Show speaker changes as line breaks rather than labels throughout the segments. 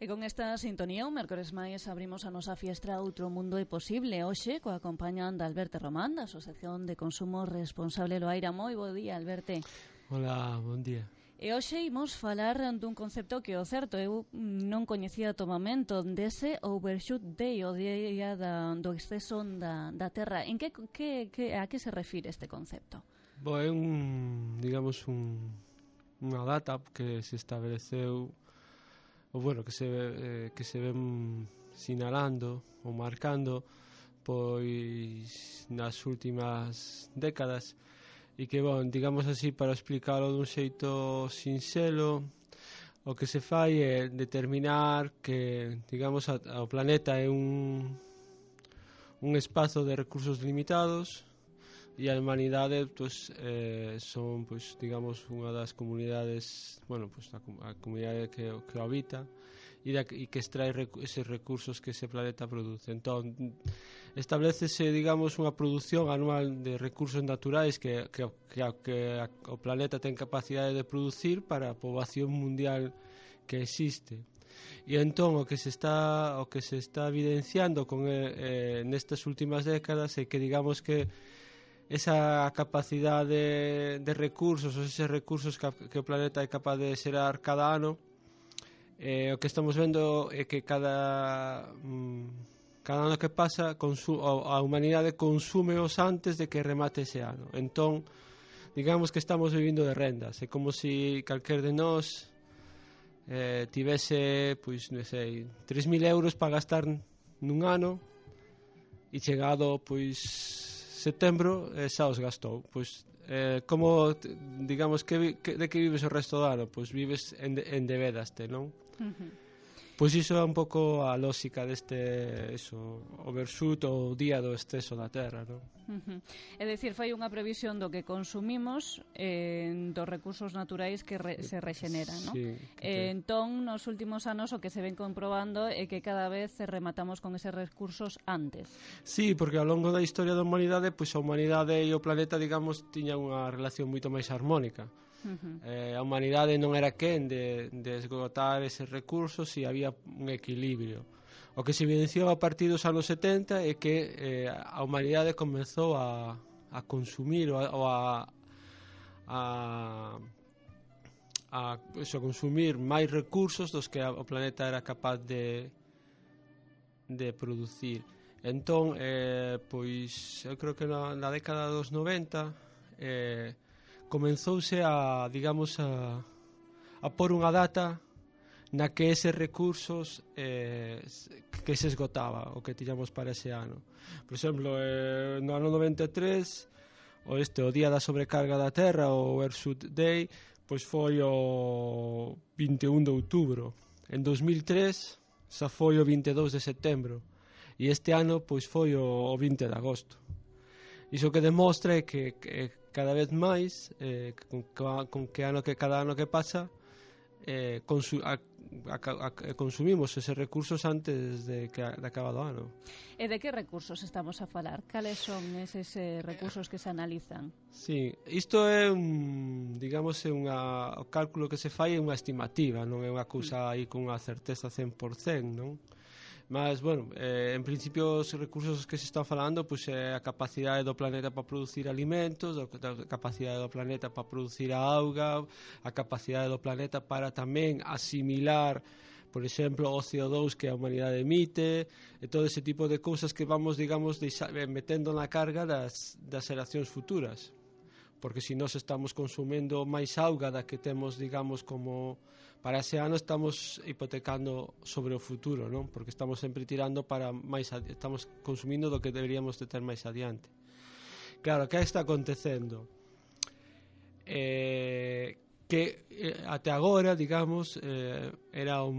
E con esta sintonía, un mércores máis abrimos a nosa fiestra Outro Mundo é Posible. Hoxe, coa compañán de Alberto Román, da Asociación de Consumo Responsable Loaira. Moi bo día, Alberto.
Hola, bon día.
E hoxe imos falar dun concepto que, o certo, eu non coñecía do momento, dese Overshoot Day, o día do exceso da Terra. En a que se refire este concepto?
Bo, é unha data que se estableceu, ou bueno, que se ven sinalando ou marcando pois nas últimas décadas e que, bon, digamos así, para explicarlo dun xeito sinxelo, o que se fai é determinar que, digamos, o planeta é un espazo de recursos limitados e a humanidade pues, son, pues, digamos, unha das comunidades, bueno, pues, a comunidade que o habita e que extrae eses recursos que ese planeta produce. Entón, establecese, digamos, unha produción anual de recursos naturais que o planeta ten capacidade de producir para a poboación mundial que existe. E entón o que se está evidenciando con nestas últimas décadas é que, digamos, que esa capacidade de recursos, ou eses recursos que o planeta é capaz de xerar cada ano, o que estamos vendo é que cada ano que pasa a humanidade consúmeos antes de que remate ese ano. Entón, digamos que estamos vivindo de rendas. É como se calquer de nós tivese, pois, non sei, 3.000 euros para gastar nun ano e chegado, pois, setembro, xa os gastou. Pois, como, digamos, de que vives o resto do ano? Pois vives endebedaste, non? Pois iso é un pouco a lógica deste overshoot ou día do exceso da Terra, non?
É dicir, fai unha previsión do que consumimos, dos recursos naturais que se rexeneran, non?
Sí,
entón, nos últimos anos o que se ven comprobando é que cada vez rematamos con eses recursos antes.
Sí, porque ao longo da historia da humanidade, pois a humanidade e o planeta, digamos, tiñan unha relación moito máis armónica. A humanidade non era quen de esgotar eses recursos e había un equilibrio. O que se evidenciou a partir dos anos 70 é que a humanidade comezou a consumir ou a consumir máis recursos dos que o planeta era capaz de producir. Entón, pois eu creo que na década dos 90 comenzouse a, digamos, a por unha data na que eses recursos que se esgotaba o que tiñamos para ese ano. Por exemplo, no ano 93 o día da sobrecarga da Terra, o Overshoot Day, pois foi o 21 de outubro. En 2003 xa foi o 22 de setembro e este ano pois foi o 20 de agosto. Iso que demostra é que cada vez máis con cada ano que pasa consumimos eses recursos antes de acabado o ano.
E de que recursos estamos a falar? Cales son eses recursos que se analizan?
Sí, isto é digamos, o cálculo que se fai é unha estimativa, non é unha cousa aí con unha certeza 100%, non? Mas, bueno, en principio os recursos que se están falando pois é a capacidade do planeta para producir alimentos, a capacidade do planeta para producir a auga, a capacidade do planeta para tamén asimilar, por exemplo, o CO2 que a humanidade emite, e todo ese tipo de cousas que vamos, digamos, metendo na carga das xeracións futuras. Porque se nós estamos consumendo máis auga da que temos, digamos, como para ese ano, estamos hipotecando sobre o futuro, non? Porque estamos sempre tirando para máis, estamos consumindo do que deberíamos de ter máis adiante. Claro, que está acontecendo? Que até agora, digamos, era o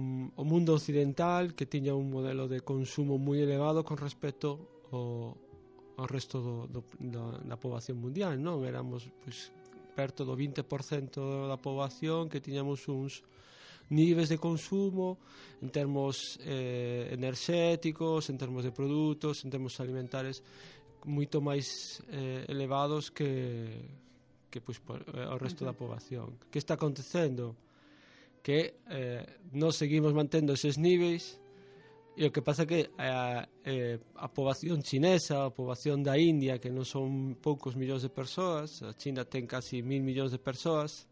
mundo occidental que tiña un modelo de consumo moi elevado con respecto ao resto da poboación mundial, non? Éramos, pois, perto do 20% da poboación que tiñamos uns niveis de consumo en termos enerxéticos, en termos de produtos, en termos alimentares moito máis elevados que pois, o resto da poboación. Que está acontecendo? que nos seguimos mantendo eses níveis, e o que pasa que a poboación chinesa, a poboación da India, que non son poucos millóns de persoas, a China ten casi 1.000 millóns de persoas,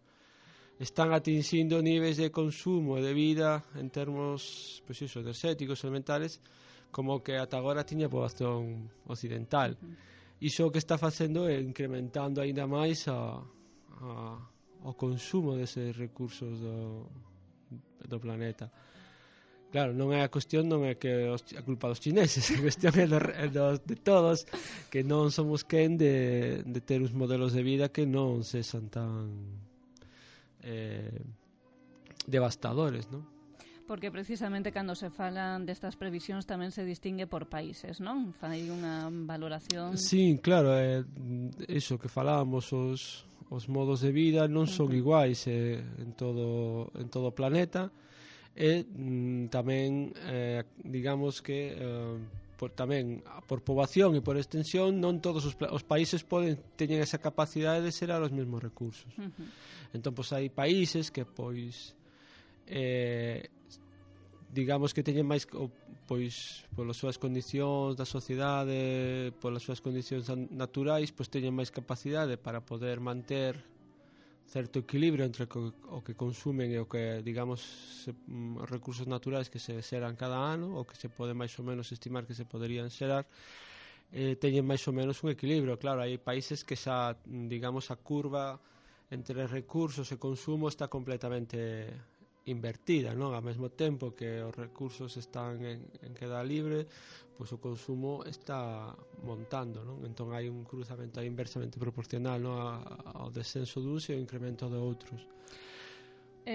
están atingindo níveis de consumo e de vida en termos, pois iso, enerxéticos, elementales, como que ata agora tiña a poboación occidental. Iso o que está facendo é incrementando aínda máis o consumo deses recursos do planeta. Claro, non é a cuestión, non é que a culpa dos chineses, a cuestión é de todos, que non somos quen de ter uns modelos de vida que non sexan tan devastadores, non?
Porque precisamente cando se falan destas previsións tamén se distingue por países, non? Fai unha valoración...
Sí, claro, iso que falábamos, os modos de vida non son iguais en todo o planeta, e tamén, digamos que tamén por poboación e por extensión non todos os países teñen esa capacidade de xerar os mesmos recursos. Entón, pois, hai países que, pois, digamos que teñen máis, pois, polas súas condicións da sociedade, polas súas condicións naturais, pois teñen máis capacidade para poder manter certo equilibrio entre o que consumen e o que, digamos, os recursos naturais que se xeran cada ano, ou que se pode máis ou menos estimar que se poderían xerar, teñen máis ou menos un equilibrio. Claro, hai países que xa, digamos, a curva entre recursos e consumo está completamente invertida, non? Ao mesmo tempo que os recursos están en queda libre, pois o consumo está montando, non? Entón hai un cruzamento inversamente proporcional, non? Ao descenso duns e ao incremento de outros.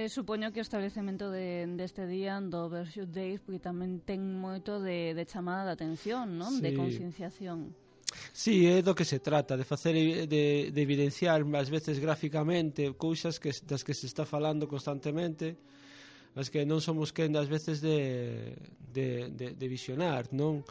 Supoño que o establecemento deste día do Overshoot Days porque tamén ten moito de chamada de atención, non? Sí. De concienciación.
Sí, é do que se trata, de facer de evidenciar ás veces gráficamente cousas das que se está falando constantemente, as que non somos quen das veces de visionar, non?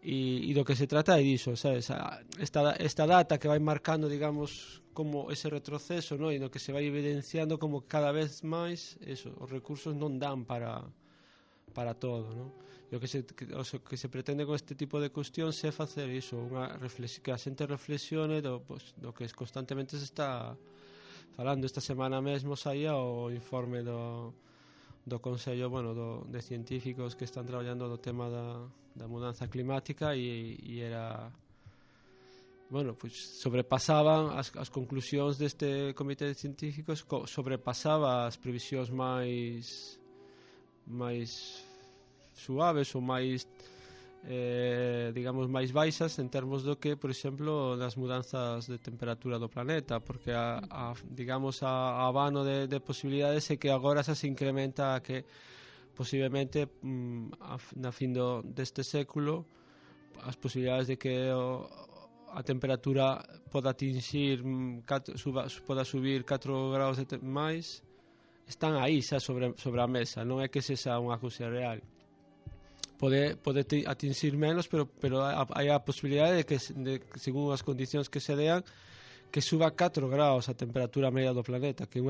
E do que se trata é diso, sabes? Esta data que vai marcando, digamos, como ese retroceso, non? E no que se vai evidenciando como cada vez máis os recursos non dan para todo, non? E o que se pretende con este tipo de cuestións é facer iso, que a xente reflexione do que constantemente se está falando. Esta semana mesmo saía o informe do Consello, de científicos que están traballando no tema da mudanza climática e era, pois sobrepasaban as conclusións deste comité de científicos, sobrepasaba as previsións máis suaves ou máis, digamos, máis baixas en termos do que, por exemplo, das mudanzas de temperatura do planeta, porque digamos, a abano de posibilidades é que agora xa se incrementa que posiblemente na fin deste século as posibilidades de que a temperatura poda atingir poda subir 4 graus máis están aí xa sobre a mesa, non é que sexa unha cousa real. Pode atingir menos, pero hai a posibilidade de que según as condicións que se dean, que suba 4 graus a temperatura media do planeta, que é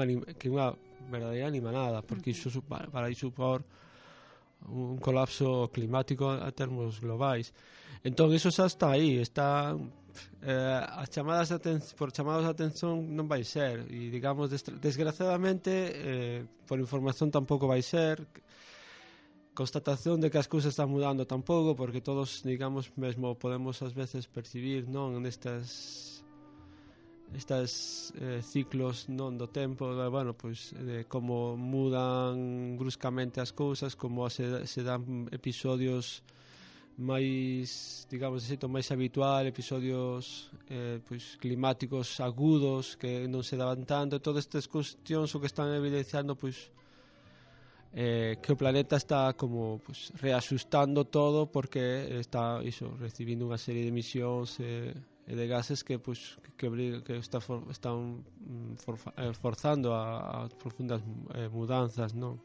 unha verdadeira animanada, porque iso para supor un colapso climático a termos globais. Entón iso xa está aí, está as chamadas por chamadas de atención non vai ser, e digamos desgraciadamente por información tampouco vai ser, constatación de que as cousas están mudando tampouco, porque todos, digamos, mesmo podemos ás veces percibir, non, nestas ciclos, non, do tempo, pois de como mudan bruscamente as cousas, como se dan episodios máis, digamos, de xeito máis habitual, episodios pois climáticos agudos que non se daban tanto. Todas estas cuestións o que están evidenciando, pois que o planeta está como reaxustando todo, porque está recibindo unha serie de emisións e de gases que están forzando a profundas mudanzas, non?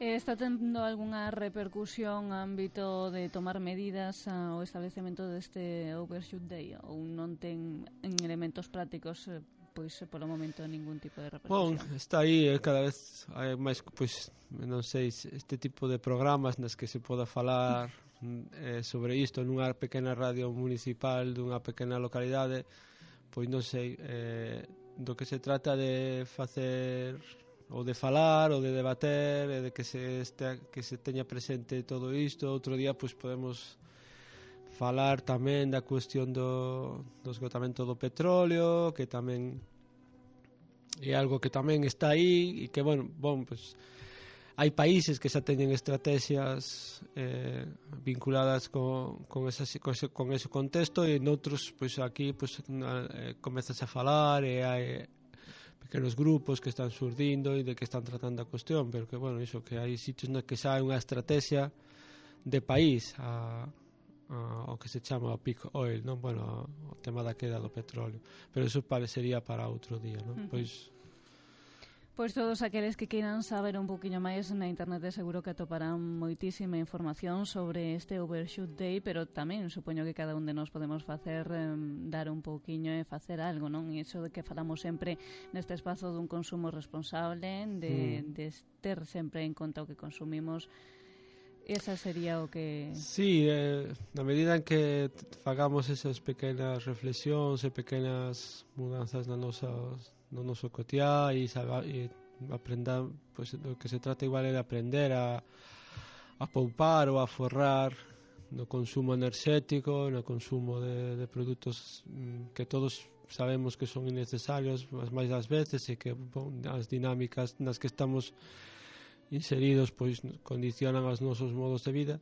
Está tendo algunha repercusión no ámbito de tomar medidas ao establecemento deste Overshoot Day, ou non ten en elementos prácticos pois polo momento ningún tipo de
Bon,
repercusión.
está aí, cada vez hai máis, pois, non sei, este tipo de programas nas que se poda falar sobre isto nunha pequena radio municipal dunha pequena localidade, pois non sei, do que se trata de facer ou de falar ou de debater e de que se teña presente todo isto. Outro día pois podemos falar tamén da cuestión do esgotamento do petróleo, que tamén é algo que tamén está aí e que, bueno, pues hai países que xa teñen estrategias vinculadas con ese contexto e noutros, pois aquí pois, comezas a falar e hai pequenos grupos que están surdindo e de que están tratando a cuestión, pero que, bueno, iso, que hai sitios na que xa hai unha estrategia de país o que se chama o peak oil, non? Bueno, o tema da queda do petróleo, pero iso parecería para outro día, non?
Pois todos aqueles que queiran saber un poquinho máis na internet seguro que atoparán moitísima información sobre este Overshoot Day, pero tamén supoño que cada un de nós podemos facer dar un pouquiño e facer algo, non? E iso de que falamos sempre neste espazo dun consumo responsable, de ter sempre en conta o que consumimos. Esa sería o que...
Sí, na medida en que fagamos esas pequenas reflexións e pequenas mudanzas no noso cotiá e aprendar, pues, o que se trata igual é de aprender a poupar ou a forrar no consumo enerxético, no consumo de produtos que todos sabemos que son innecesarios as máis das veces e que, bon, as dinámicas nas que estamos inseridos pois condicionan os nosos modos de vida,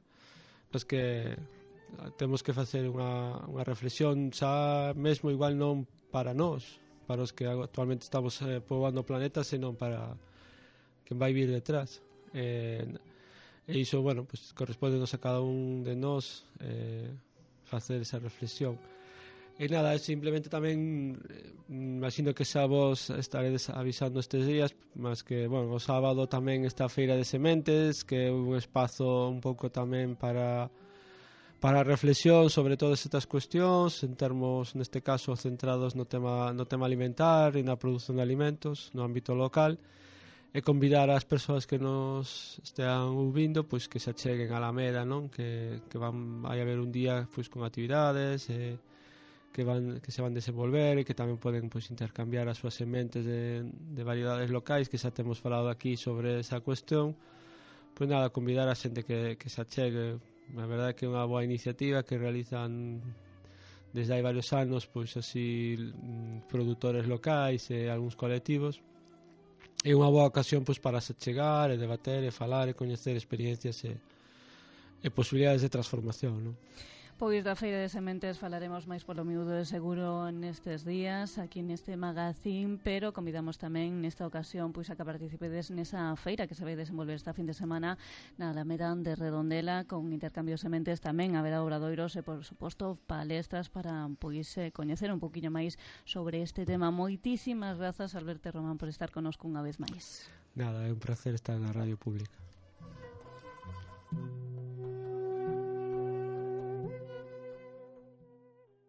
pois que temos que facer unha reflexión xa mesmo igual non para nós, para os que actualmente estamos poboando o planeta, senón para quen vai vir detrás, e iso, bueno, pois correspondenos a cada un de nós facer esa reflexión. E nada, simplemente tamén imagino que xa vos estaredes avisando estes días, mas que, bueno, o sábado tamén está a Feira de Sementes, que é un espazo un pouco tamén para reflexión sobre todas estas cuestións, en termos, neste caso, centrados no tema alimentar e na produción de alimentos no ámbito local, e convidar as persoas que nos estean ouvindo, pois que se acheguen a Alameda, non? Que vai haber un día pois con actividades que se van desenvolver e que tamén poden pois intercambiar as súas sementes de variedades locais, que xa temos falado aquí sobre esa cuestión. Pois nada, convidar a xente que se achegue. A verdade é que é unha boa iniciativa que realizan desde hai varios anos, pois así produtores locais e algúns colectivos. É unha boa ocasión pois para se achegar e debater e falar e coñecer experiencias e posibilidades de transformación, non?
Pois da Feira de Sementes falaremos máis polo miúdo de seguro nestes días, aquí neste magazín, pero convidamos tamén nesta ocasión pois a que participedes nesa feira que se vai desenvolver esta fin de semana na Alameda de Redondela, con intercambio de sementes tamén haberá obradoiros e, por suposto, palestras para pois coñecer un poquinho máis sobre este tema. Moitísimas grazas, Alberto Román, por estar connosco unha vez máis.
Nada, é un placer estar na Radio Pública.